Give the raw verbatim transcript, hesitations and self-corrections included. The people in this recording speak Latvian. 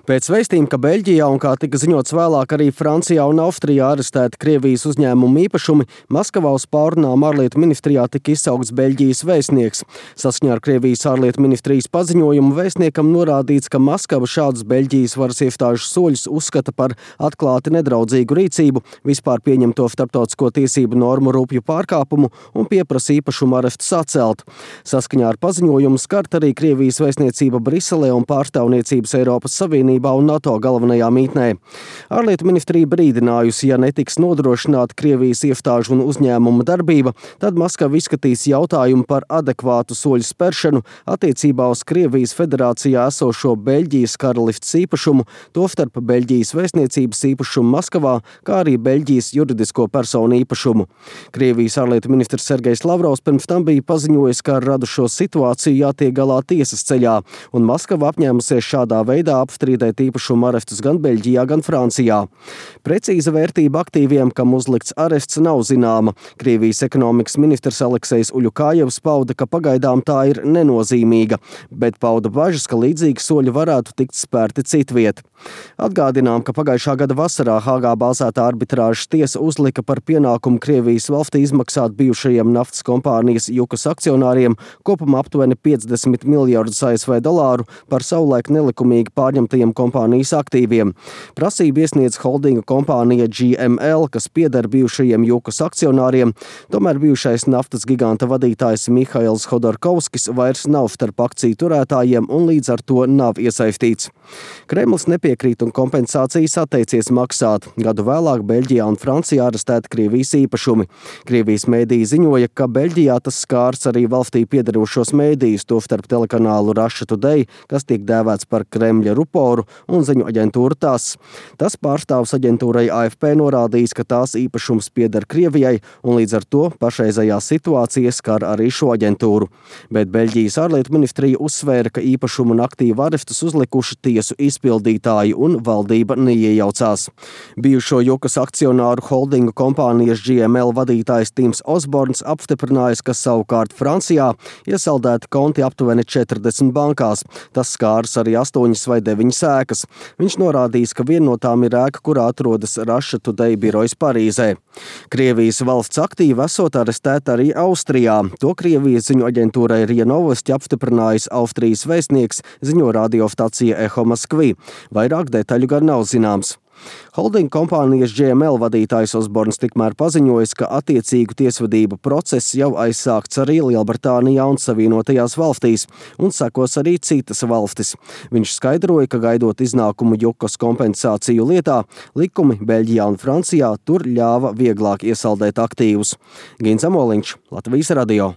Pēc vēstījuma, ka Beļģijā un, kā tika ziņots vēlāk, arī Francijā un Austrijā arestēti Krievijas uzņēmumu īpašumi, Maskavā uz pārrunām ārlietu ministrijā tika izsaukts Beļģijas vēstnieks. Saskaņā ar Krievijas ārlietu ministrijas paziņojumu vēstniekam norādīts, ka Maskava šādus Beļģijas varas iestāžu soļus uzskata par atklāti nedraudzīgu rīcību, vispār pieņemto starptautisko tiesību normu rupju pārkāpumu un pieprasa īpašumu arestus atcelt. Saskaņā ar paziņojumu skart arī Krievijas vēstniecība Briselē un pārstāvniecības Eiropas Savienībā un NATO galvenajā mītnē. Ārlietu ministrija brīdinājusi, ja netiks nodrošināta Krievijas iestāžu un uzņēmuma darbība, tad Maskava izskatīs jautājumu par adekvātu soļu spēršanu attiecībā uz Krievijas federācijā esošo Beļģijas karaliftes īpašumu, tostarp Beļģijas vēstniecības īpašumu Maskavā, kā arī Beļģijas juridisko personu īpašumu. Krievijas ārlietu ministrs Sergejs Lavrovs pirms tam bija paziņojis, ka ar radušo situāciju jātiek galā tiesas ceļā, un Maskava apņēmusies šādā veidā apstrīdēt īpašumu arestus gan Beļģijā, gan Francijā. Precīza vērtība aktīviem, kam uzlikts arests, nav zināma. Krievijas ekonomikas ministrs Aleksejs Uļukājevs pauda, ka pagaidām tā ir nenozīmīga, bet pauda bažas, ka līdzīgi soļi varētu tikt spērti citviet. Atgādinām, ka pagājušā gada vasarā Hāgā bāzētā arbitrāžas tiesa uzlika par pienākumu Krievijas valstī izmaksāt bijušajiem naftas kompānijas Jukas akcionāriem kopumā aptuveni piecdesmit miljardus A S V dolāru par savulaik nelikumīgi pārņemtajiem kompānijas aktīviem. Prasību iesniedz holdinga kompānija G M L, kas pieder bijušajiem Jukas akcionāriem, tomēr bijušais naftas giganta vadītājs Mihails Hodorkovskis vairs nav starp akciju turētājiem un līdz ar to nav iesaistīts. Kremlis nepiekrīt un kompensācijas atteicies maksāt. Gadu vēlāk Beļģijā un Francijā arestēti Krievijas īpašumi. Krievijas mēdīji ziņoja, ka Beļģijā tas skārs arī valstī piederošos mēdījus, tostarp telekanālu Russia Today, kas tiek dēvēts par Kremļa ruporu, un ziņu aģentūra TASS. Tas pārstāvs aģentūrai A F P norādījis, ka tās īpašums pieder Krievijai, un līdz ar to pašreizējā situācija skar arī šo aģentūru. Bet Beļģijas ārlietu ministrija uzsvēra, ka īpašumu un aktīvu arestus uzlikuši tiesu izpildītāji un valdība neiejaucās. Bijušo Jukas akcionāru holdingu kompānijas G M L vadītājs Tims Osborns apstiprinājis, ka savukārt Francijā iesaldēti konti aptuveni četrdesmit bankās. Tas skārs arī astoņas vai deviņas ēkas. Viņš norādījis, ka viena no tām ir ēka, kurā atrodas Russia Today birojas Parīzē. Krievijas valsts aktīvi esot arestēta arī Austrijā. To Krievijas ziņu aģentūrai R I A Novosti apstiprinājis Austrijas vēstnieks, ziņo radiostacija Eho Moskvi. Vairāk detaļu gan nav zināms. Holdinga kompānijas G M L vadītājs Osborns tikmēr paziņojis, ka attiecīgu tiesvedību process jau aizsākts arī Lielbritānijā un Savienotajās valstīs, un sekos arī citas valstis. Viņš skaidroja, ka gaidot iznākumu Jukas kompensāciju lietā, likumi Beļģijā un Francijā tur ļāva vieglāk iesaldēt aktīvus. Gins Amoliņš, Latvijas radio.